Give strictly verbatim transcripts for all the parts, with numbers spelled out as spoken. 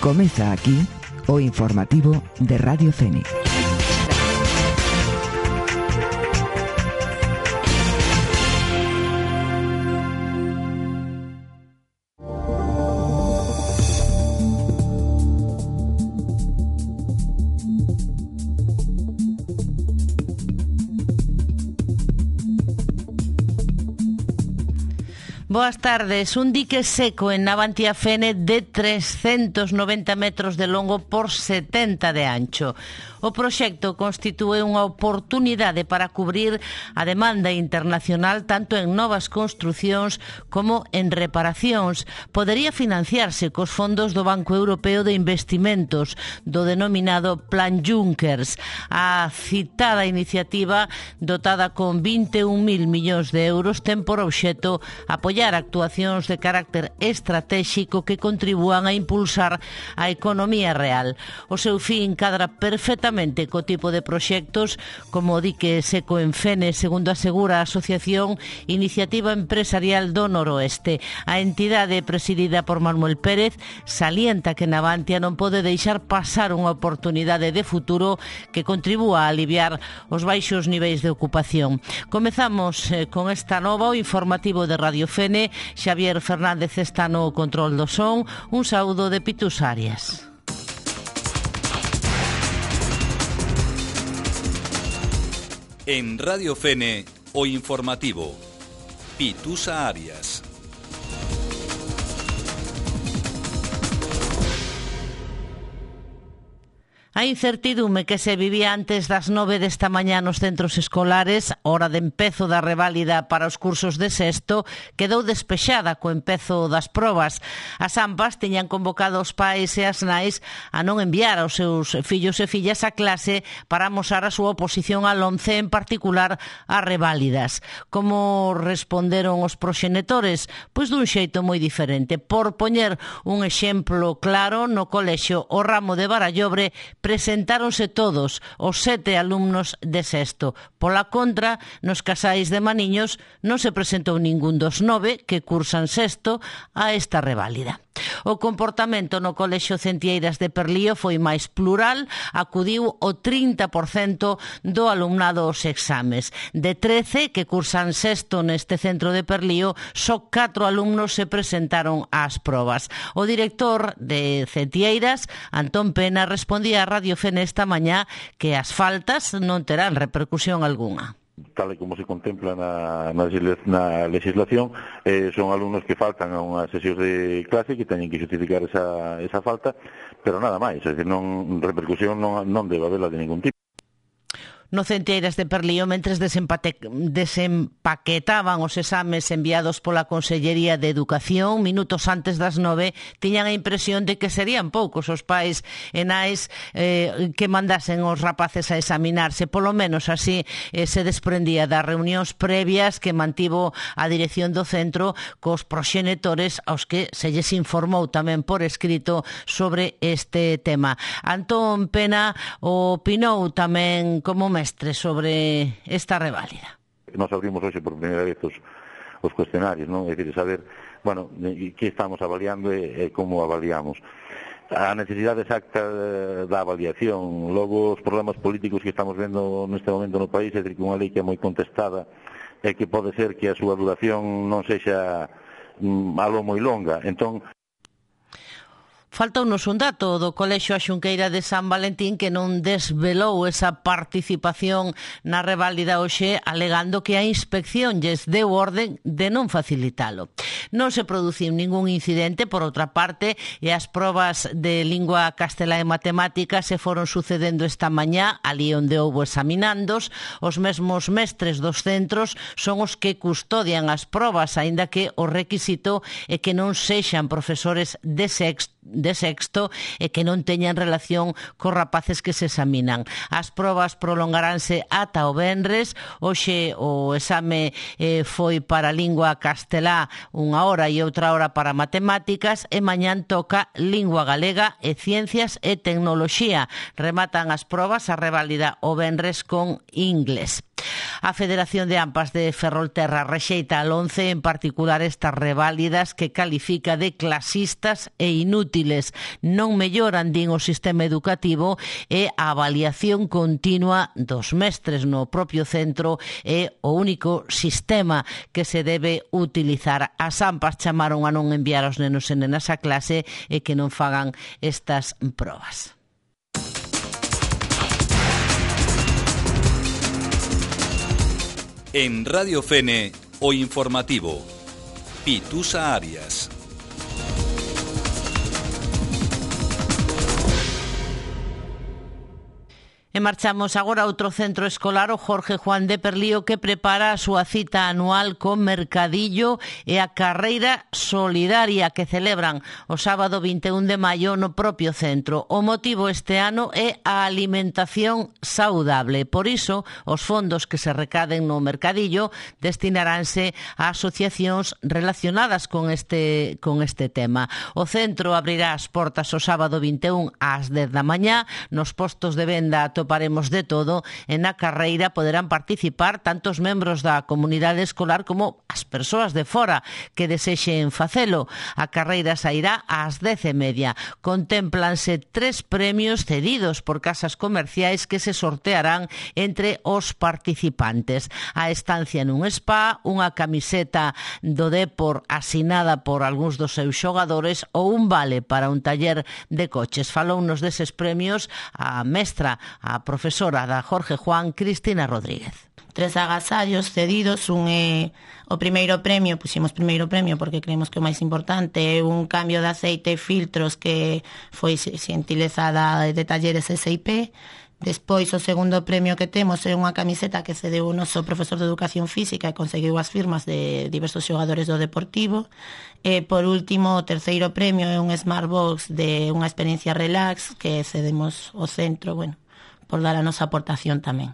Comeza aquí o informativo de Radio Fénix. Boas tardes. Un dique seco en Navantia-Fene de trescentos noventa metros de longo por setenta de ancho. O proxecto constitúe unha oportunidade para cubrir a demanda internacional tanto en novas construcións como en reparacións. Podería financiarse cos fondos do Banco Europeo de Investimentos, do denominado Plan Junckers. A citada iniciativa, dotada con vinte e un mil millóns de euros, ten por obxecto apoiar actuacións de carácter estratégico que contribúan a impulsar a economía real. O seu fin cadra perfectamente co tipo de proxectos como o dique seco en Fene, segundo asegura a Asociación Iniciativa Empresarial do Noroeste. A entidade presidida por Manuel Pérez salienta que Navantia non pode deixar pasar unha oportunidade de futuro que contribúa a aliviar os baixos niveis de ocupación. Comezamos eh, con esta nova, o informativo de Radio Fene. Xavier Fernández está no control do son. Un saúdo de Pitus Arias. En Radio Fene, o informativo. Pitusa Arias. A incertidume que se vivía antes das nove desta mañá nos centros escolares, hora de empezo da reválida para os cursos de sexto, quedou despexada co empezo das probas. As AMPAs tiñan convocado os pais e as nais a non enviar aos seus fillos e fillas a clase para amosar a súa oposición al once, en particular a reválidas. Como responderon os proxenitores? Pois dun xeito moi diferente. Por poñer un exemplo claro, no colexio O Ramo de Barallobre presentáronse todos os sete alumnos de sexto. Pola contra, nos casais de Maniños non se presentou ningún dos nove que cursan sexto a esta reválida. O comportamento no colexio Centieiras de Perlío foi máis plural, acudiu o trinta por cento do alumnado aos exames. De trece que cursan sexto neste centro de Perlío, só catro alumnos se presentaron ás probas. O director de Centieiras, Antón Pena, respondía a Radio Fene esta mañá que as faltas non terán repercusión algunha. Tal e como se contempla na, na, na legislación, eh, son alumnos que faltan a unhas sesións de clase que teñen que justificar esa, esa falta, pero nada máis, é dicir, non, repercusión non, non debe haberla de ningún tipo. No Centieiras de Perlío, mentres desempate, desempaquetaban os exames enviados pola Consellería de Educación, minutos antes das nove, tiñan a impresión de que serían poucos os pais e nais eh, que mandasen os rapaces a examinarse. Polo menos así eh, se desprendía das reunións previas que mantivo a dirección do centro cos proxenitores aos que se lles informou tamén por escrito sobre este tema. Antón Pena opinou tamén como mestre sobre esta reválida. Nos abrimos hoxe por primeira vez os, os cuestionarios, non? É dicir, saber, bueno, que estamos avaliando e, e como avaliamos. A necesidade exacta da avaliación, logo os problemas políticos que estamos vendo neste momento no país, é dicir, que unha lei que é moi contestada e que pode ser que a súa duración non sexa mm, algo moi longa. Entón, faltounos un dato do Colexio A Xunqueira de San Valentín que non desvelou esa participación na reválida hoxe, alegando que a inspección lles deu orden de non facilitalo. Non se produciu ningún incidente, por outra parte, e as probas de lingua castelá e matemática se foron sucedendo esta mañá, ali onde houbo examinandos. Os mesmos mestres dos centros son os que custodian as probas, aínda que o requisito é que non sexan profesores de sexto de sexto e que non teñan relación cos rapaces que se examinan. As probas prolongaránse ata o venres. Hoxe o exame eh, foi para lingua castelá unha hora e outra hora para matemáticas, e mañán toca lingua galega e ciencias e tecnoloxía. Rematan as probas a reválida o venres con inglés. A Federación de AMPAs de Ferrolterra rexeita al once, en particular estas reválidas que califica de clasistas e inútiles. útiles. Non melloran, din, o sistema educativo e a avaliación continua dos mestres no propio centro é o único sistema que se debe utilizar. As AMPAs chamaron a non enviar os nenos e nenas a clase e que non fagan estas probas. En Radio Fene, o informativo. Pitusa Arias. E marchamos agora a outro centro escolar, o Jorge Juan de Perlío, que prepara a súa cita anual co Mercadillo e a carreira solidaria que celebran o sábado vinte e un de maio no propio centro. O motivo este ano é a alimentación saudable. Por iso, os fondos que se recaden no Mercadillo destinaránse a asociacións relacionadas con este, con este tema. O centro abrirá as portas o sábado vinte e un ás dez da mañá. Nos postos de venda atoparemos de todo e na carreira poderán participar tanto os membros da comunidade escolar como as persoas de fora que desexen facelo. A carreira sairá ás dez e media. Contémplanse tres premios cedidos por casas comerciais que se sortearán entre os participantes. A estancia nun spa, unha camiseta do Depor asinada por algúns dos seus xogadores ou un vale para un taller de coches. Falounos deses premios a mestra, a profesora da Jorge Juan, Cristina Rodríguez. Tres agasallos cedidos, un é o primeiro premio, puximos primeiro premio porque creemos que o máis importante é un cambio de aceite e filtros que foi xentilezada de talleres S I P. Despois, o segundo premio que temos é unha camiseta que cedeu o noso profesor de Educación Física e conseguiu as firmas de diversos xogadores do Deportivo. E, por último, o terceiro premio é un Smartbox de unha experiencia relax que cedemos ao centro, bueno, por dar a nosa aportación tamén.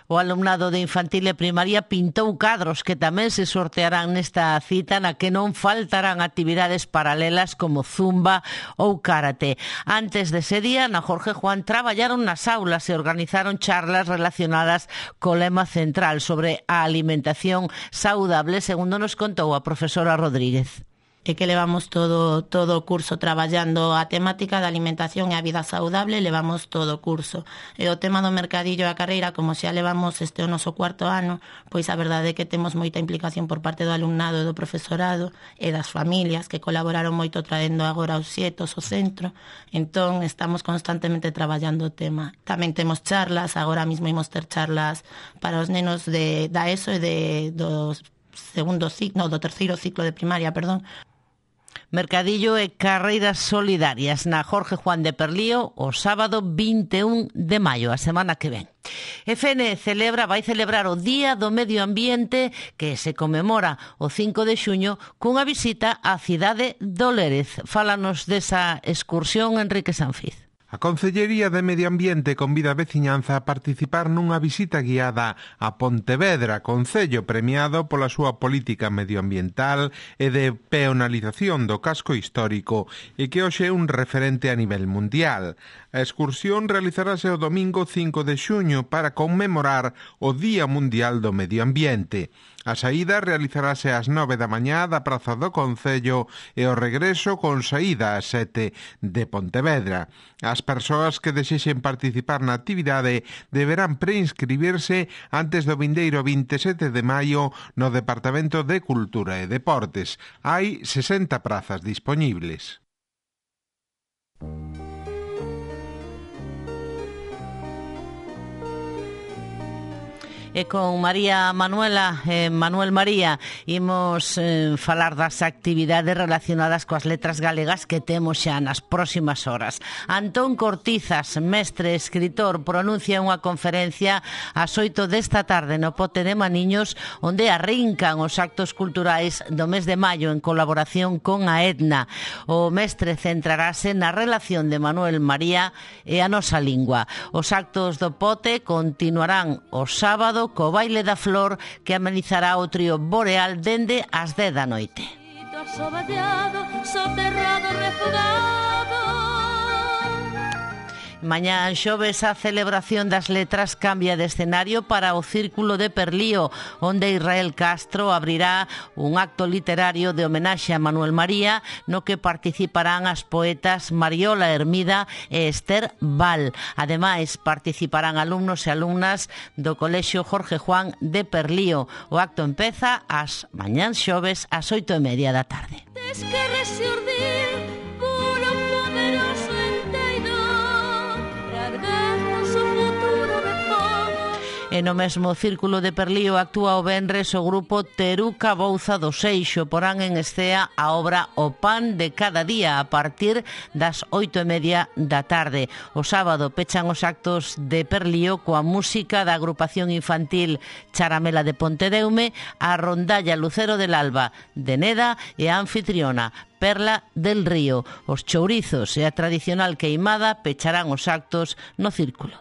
O alumnado de infantil e primaria pintou cadros que tamén se sortearán nesta cita na que non faltarán actividades paralelas como zumba ou karate. Antes dese día, na Jorge Juan traballaron nas aulas e organizaron charlas relacionadas co lema central sobre a alimentación saudable, segundo nos contou a profesora Rodríguez. É que levamos todo todo o curso traballando a temática da alimentación e a vida saudable, levamos todo o curso. E o tema do mercadillo e a carreira, como xa levamos este o noso cuarto ano, pois a verdade é que temos moita implicación por parte do alumnado e do profesorado e das familias que colaboraron moito traendo agora os xetos ao centro. Entón, estamos constantemente traballando o tema. Tamén temos charlas, agora mesmo imos ter charlas para os nenos de, da ESO e de, do segundo ciclo, no, do terceiro ciclo de primaria, perdón. Mercadillo e carreiras solidarias na Jorge Juan de Perlío o sábado vinte e un de maio, a semana que ven. E Fene celebra, vai celebrar o Día do Medio Ambiente que se conmemora o cinco de xuño cunha visita á cidade do Lérez. Fálanos desa excursión Enrique Sanfiz. A Concellería de Medio Ambiente convida a veciñanza a participar nunha visita guiada a Pontevedra, concello premiado pola súa política medioambiental e de peonalización do casco histórico e que hoxe é un referente a nivel mundial. A excursión realizarase o domingo cinco de xuño para conmemorar o Día Mundial do Medio Ambiente. A saída realizarase ás nove da mañá da Praza do Concello e o regreso con saída ás sete de Pontevedra. As persoas que desexen participar na actividade deberán preinscribirse antes do vindeiro vinte e sete de maio no Departamento de Cultura e Deportes. Hai sesenta prazas dispoñibles. E con María Manuela, eh, Manuel María, imos eh, falar das actividades relacionadas coas letras galegas que temos xa nas próximas horas. Antón Cortizas, mestre e escritor, pronuncia unha conferencia ás oito desta tarde no Pote de Maniños, onde arrincan os actos culturais do mes de maio en colaboración con a Etna. O mestre centrarase na relación de Manuel María e a nosa lingua. Os actos do Pote continuarán o sábado co baile da flor que amenizará o trío Boreal dende as dez da noite. Mañá xoves a celebración das letras cambia de escenario para o Círculo de Perlío, onde Israel Castro abrirá un acto literario de homenaxe a Manuel María, no que participarán as poetas Mariola Hermida e Esther Val. Ademais, participarán alumnos e alumnas do Colexio Jorge Juan de Perlío. O acto empeza ás mañán xoves ás oito e media da tarde. Tes que resurdir puro poderoso enteiro para erguernos o futuro de povo. E no mesmo Círculo de Perlío actúa o venres o grupo Teruca Bouza do Seixo. Porán en escea a obra O Pan de Cada Día a partir das oito e media da tarde. O sábado pechan os actos de Perlío coa música da agrupación infantil Charamela de Pontedeume, a rondalla Lucero del Alba de Neda e a anfitriona Perla del Río. Os chourizos e a tradicional queimada pecharán os actos no Círculo.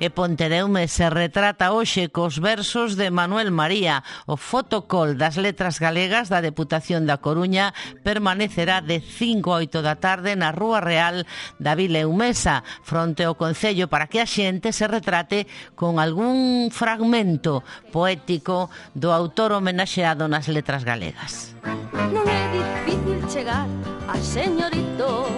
E Pontedeume se retrata hoxe cos versos de Manuel María. O fotocol das letras galegas da Deputación da Coruña permanecerá de cinco a oito da tarde na Rúa Real da Vila Eumesa, fronte ao Concello, para que a xente se retrate con algún fragmento poético do autor homenaxeado nas letras galegas. Non é difícil chegar a señorito.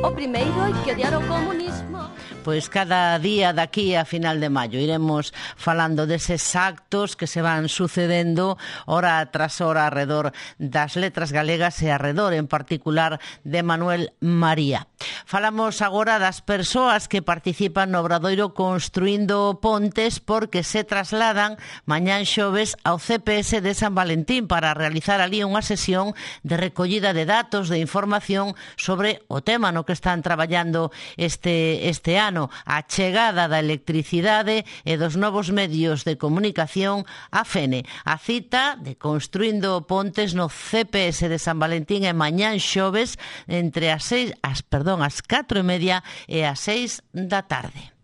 O primeiro hai que odiar o comunismo. Pois cada día daqui a final de maio iremos falando deses actos que se van sucedendo hora tras hora arredor das letras galegas e arredor en particular de Manuel María. Falamos agora das persoas que participan no obradoiro Construindo Pontes, porque se trasladan mañán xoves ao C P S de San Valentín para realizar ali unha sesión de recollida de datos, de información sobre o tema no que están traballando este, este ano, a chegada da electricidade e dos novos medios de comunicación á Fene. A cita de Construindo Pontes no C P S de San Valentín é mañán xoves entre as seis, as, perdón, as catro e media e as seis da tarde.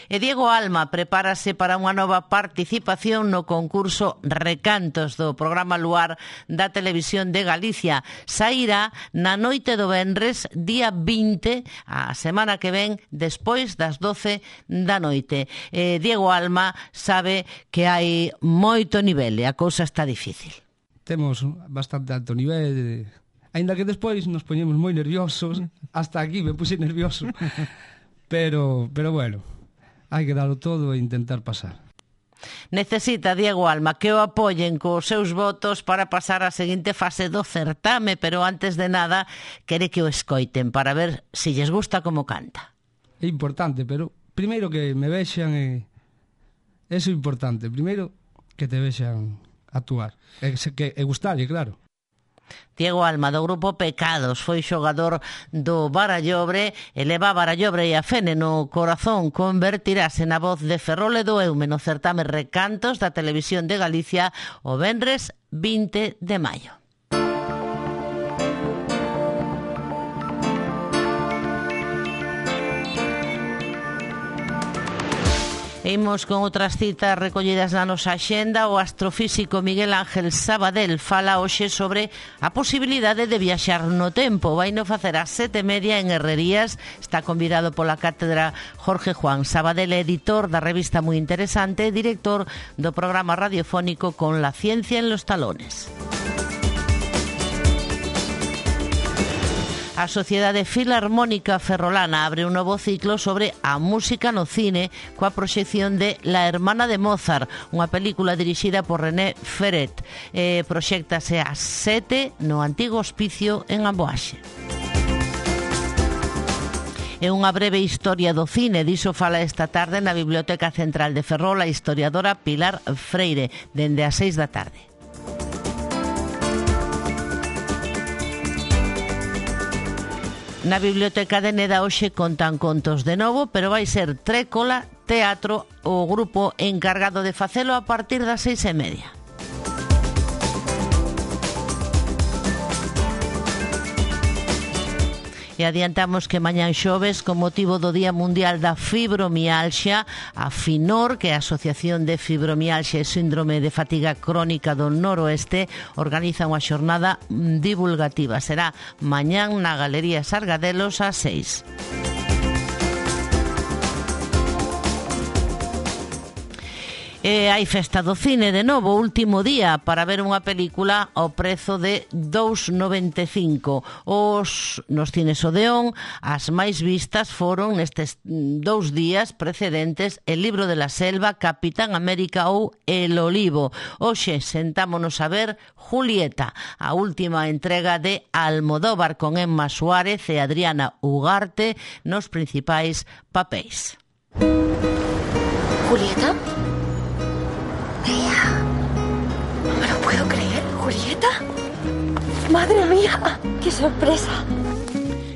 E Diego Alma prepárase para unha nova participación no concurso Recantos do programa Luar da Televisión de Galicia. Sairá na noite do venres, día vinte, a semana que ven, despois das doce da noite. E Diego Alma sabe que hai moito nivel e a cousa está difícil. Temos bastante alto nivel, aínda que despois nos poñemos moi nerviosos. Hasta aquí me puse nervioso. Pero, pero bueno, hai que darlo todo e intentar pasar. Necesita Diego Alma que o apoyen cos seus votos para pasar a seguinte fase do certame, pero antes de nada quere que o escoiten para ver se lles gusta como canta. É importante, pero primeiro que me vexan e eso é importante. Primeiro que te vexan actuar e, que, e gustarlle, claro. Diego Alma, do grupo Pecados, foi xogador do Barallobre e leva Barallobre e a Fene no corazón. Convertirase na voz de Ferrol e do Eume no certame Recantos da Televisión de Galicia o venres vinte de maio. Imos con outras citas recollidas na nosa axenda. O astrofísico Miguel Ángel Sabadell fala hoxe sobre a posibilidade de viaxar no tempo. Vai no facer a sete e media en Herrerías. Está convidado pola cátedra Jorge Juan. Sabadell é editor da revista Moi Interesante e director do programa radiofónico Con la ciencia en los talones. A Sociedade Filarmónica Ferrolana abre un novo ciclo sobre a música no cine coa proxección de La Hermana de Mozart, unha película dirixida por René Ferret. Eh, proxéctase ás sete no antigo hospicio en Amboaxe. É unha breve historia do cine, diso fala esta tarde na Biblioteca Central de Ferrol a historiadora Pilar Freire, dende as seis da tarde. Na Biblioteca de Neda hoxe contan contos de novo, pero vai ser Trécola Teatro o grupo encargado de facelo a partir das seis e media. E adiantamos que mañán xoves, con motivo do Día Mundial da Fibromialxia, a FINOR, que é a Asociación de Fibromialxia e Síndrome de Fatiga Crónica do Noroeste, organiza unha xornada divulgativa. Será mañán na Galería Sargadelos ás seis. E hai festa do cine de novo, último día para ver unha película ao prezo de dous noventa e cinco. Os nos cines Odeón, as máis vistas foron nestes dous días precedentes El libro de la selva, Capitán América ou El olivo. Hoxe sentámonos a ver Julieta, a última entrega de Almodóvar, con Emma Suárez e Adriana Ugarte nos principais papéis. ¿Julieta? Tía, no me lo puedo creer. ¿Julieta? ¡Madre mía! ¡Qué sorpresa!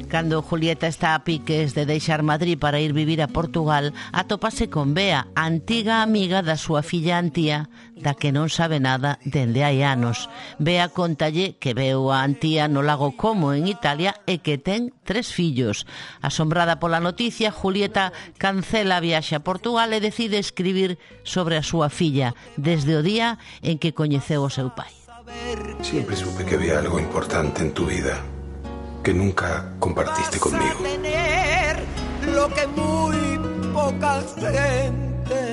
Cando Julieta está a piques de deixar Madrid para ir vivir a Portugal, atópase con Bea, antiga amiga da súa filla Antía, da que non sabe nada dende hai anos. Bea contalle que veu a Antía no lago Como, en Italia, e que ten tres fillos. Asombrada pola noticia, Julieta cancela a viaxe a Portugal e decide escribir sobre a súa filla desde o día en que coñeceu o seu pai. Siempre supe que había algo importante en tu vida que nunca compartiste conmigo. Lo que muy poca gente.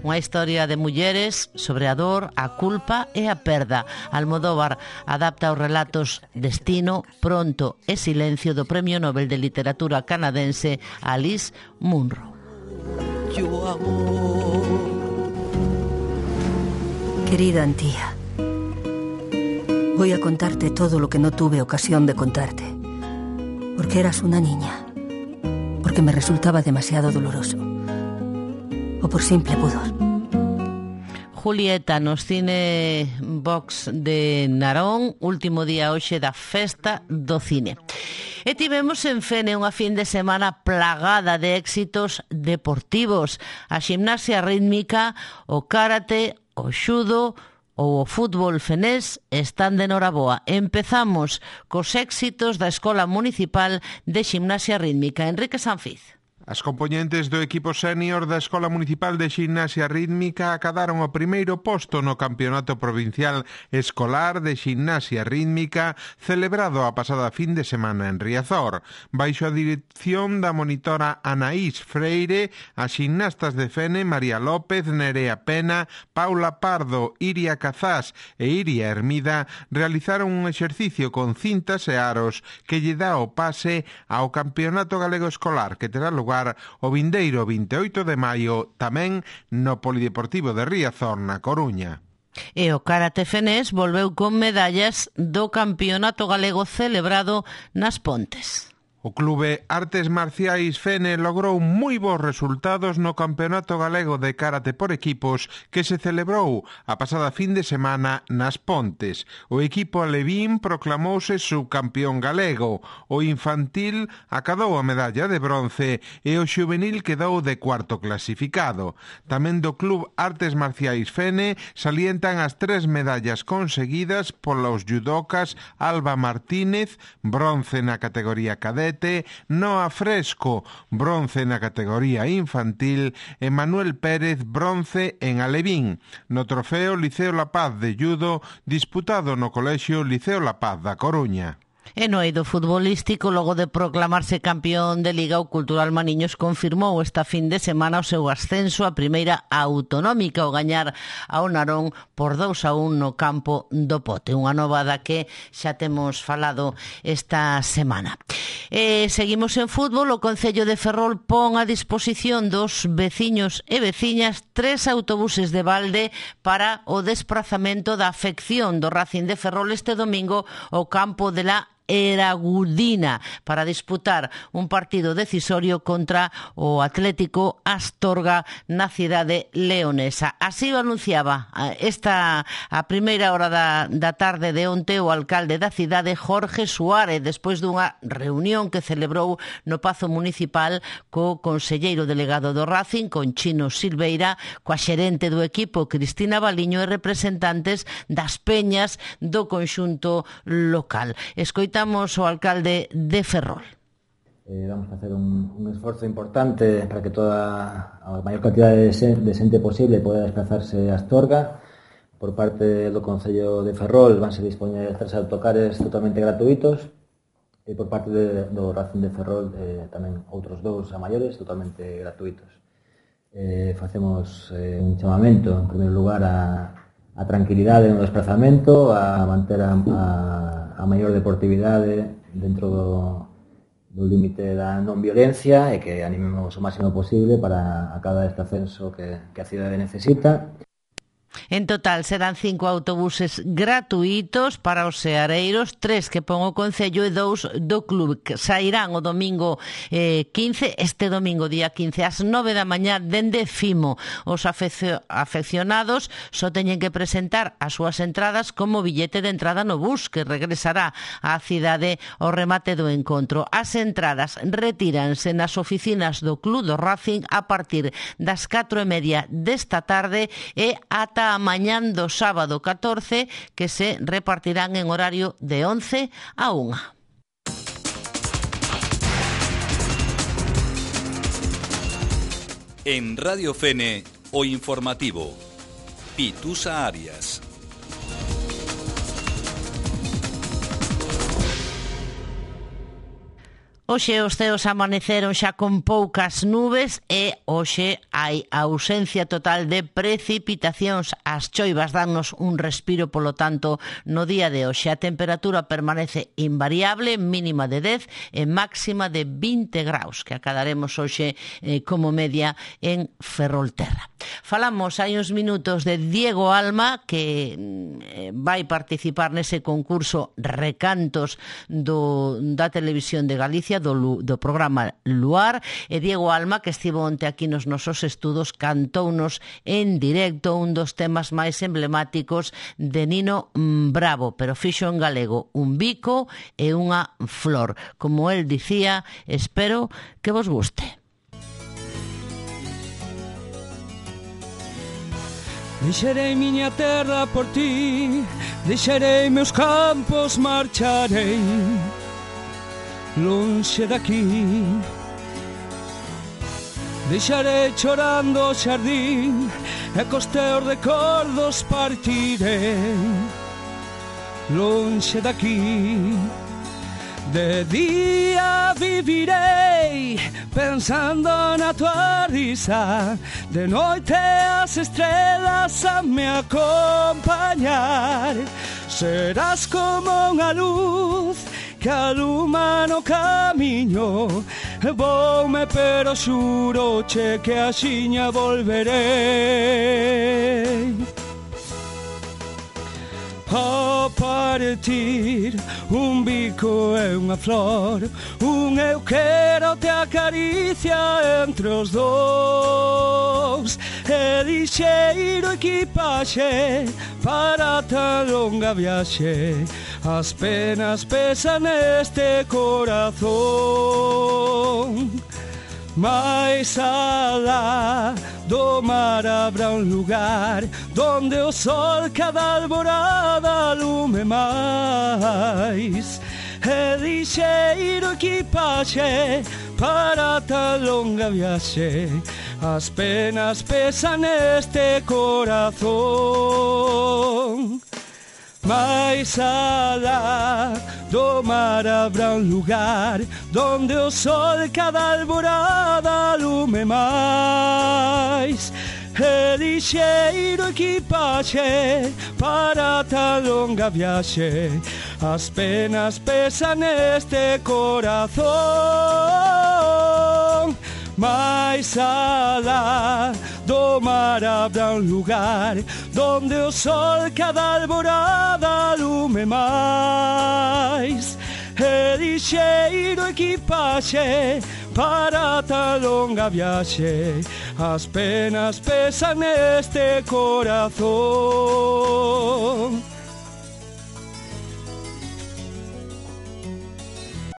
Unha historia de mulleres sobre a dor, a culpa e a perda. Almodóvar adapta os relatos Destino, Pronto e Silencio do Premio Nobel de Literatura canadense Alice Munro. Yo amor. Querida Antía, voy a contarte todo lo que no tuve ocasión de contarte. Porque eras una niña, porque me resultaba demasiado doloroso, o por simple pudor. Julieta nos cine box de Narón, último día hoxe da festa do cine. E tivemos en Fene unha fin de semana plagada de éxitos deportivos. A ximnasia rítmica, o karate, o xudo ou o fútbol fenés están de noraboa. Empezamos cos éxitos da Escola Municipal de Ximnasia Rítmica. Enrique Sanfiz. As compoñentes do equipo sénior da Escola Municipal de Ximnasia Rítmica acadaron o primeiro posto no Campeonato Provincial Escolar de Ximnasia Rítmica celebrado a pasada fin de semana en Riazor. Baixo a dirección da monitora Anaís Freire, as ximnastas de Fene, María López, Nerea Pena, Paula Pardo, Iria Cazás e Iria Hermida realizaron un exercicio con cintas e aros que lle dá o pase ao Campeonato Galego Escolar que terá lugar o vindeiro vinte e oito de maio tamén no Polideportivo de Riazor, na Coruña. E o karate fenés volveu con medallas do Campeonato Galego celebrado nas Pontes. O Clube Artes Marciais Fene logrou moi bons resultados no Campeonato Galego de Karate por equipos que se celebrou a pasada fin de semana nas Pontes. O equipo alevín proclamouse subcampeón galego, o infantil acadou a medalla de bronce e o xuvenil quedou de cuarto clasificado. Tamén do Club Artes Marciais Fene salientan as tres medallas conseguidas polos judocas Alba Martínez, bronce na categoría cadete, Noa Fresco, bronce na categoría infantil, e Manuel Pérez, bronce en alevín, no trofeo Liceo La Paz de judo disputado no Colexio Liceo La Paz da Coruña. E no eido futbolístico, logo de proclamarse campeón de Liga, o Cultural Maniños confirmou esta fin de semana o seu ascenso a primeira autonómica ao gañar ao Narón por dous a un no campo do Pote. Unha novada que xa temos falado esta semana. E seguimos en fútbol. O Concello de Ferrol pon a disposición dos veciños e veciñas tres autobuses de balde para o desprazamento da afección do Racing de Ferrol este domingo ao campo de la Eragudina para disputar un partido decisorio contra o Atlético Astorga na cidade leonesa. Así o anunciaba esta a primeira hora da, da tarde de onte o alcalde da cidade, Jorge Suárez, despois dunha reunión que celebrou no Pazo Municipal co conselleiro delegado do Racing, con Chino Silveira, coa xerente do equipo, Cristina Baliño, e representantes das peñas do conxunto local. Escoitamos o alcalde de Ferrol. Eh, vamos a facer un, un esforzo importante para que toda a maior cantidad de, sen, de xente posible poda desplazarse a Astorga. Por parte do Concello de Ferrol vanse dispoñer tres autocares totalmente gratuitos e por parte de, do Racing de Ferrol eh, tamén outros dous a maiores totalmente gratuitos. Eh, facemos eh, un chamamento, en primeiro lugar, a, a tranquilidade no desplazamento, a manter a, a, a maior deportividade dentro do do límite da non violencia e que animemos o máximo posible para acadar este ascenso que, que a cidade necesita. En total serán cinco autobuses gratuitos para os seareiros, tres que pon o Concello e dous do club, que sairán o domingo eh, quince, este domingo día quince ás nove da mañá dende Fimo. Os afeccio, afeccionados só teñen que presentar as súas entradas como billete de entrada no bus que regresará á cidade ao remate do encontro. As entradas retíranse nas oficinas do club do Racing a partir das catro e media desta tarde e ata a mañán do sábado catorce, que se repartirán en horario de once a unha. En Radio Fene, o informativo. Pitusa Arias. Hoxe os ceos amaneceron xa con poucas nubes e hoxe hai ausencia total de precipitacións. As choivas dannos un respiro, polo tanto, no día de hoxe a temperatura permanece invariable, mínima de dez e máxima de vinte graus, que acadaremos hoxe eh, como media en Ferrolterra. Falamos hai uns minutos de Diego Alma, que eh, vai participar nese concurso Recantos do, da Televisión de Galicia, do, do programa Luar, e Diego Alma, que estivo onte aquí nos nosos estudos, cantounos en directo un dos temas máis emblemáticos de Nino Bravo, pero fixo en galego un bico e unha flor. Como el dicía, espero que vos guste. Deixarei miña terra por ti, deixarei meus campos, marcharei lonxe daqui. Deixarei chorando o xardín e cos teus recordos partirei lonxe daqui. De día vivirei pensando na tua risa, de noite as estrelas a me acompañar. Serás como unha luz que aluma no camiño, voume pero xuro che que axiña volverei. A partir un bico e unha flor, un eu quero te acaricia entre os dous, e lixeiro equipaxe para tan longa viaxe, as penas pesan neste corazón. Mais alá do mar habrá un lugar donde o sol cada alborada alume máis, e lixeiro equipaxe para tan longa viaxe, as penas pesan neste corazón. Mais alá do mar habrá un lugar donde o sol cada alborada alume máis, e lixeiro equipaxe para tan longa viaxe, as penas pesan neste corazón. Mais alá do mar habrá un lugar donde o sol cada alborada alume máis, e lixeiro equipaxe para tan longa viaxe, as penas pesan neste corazón.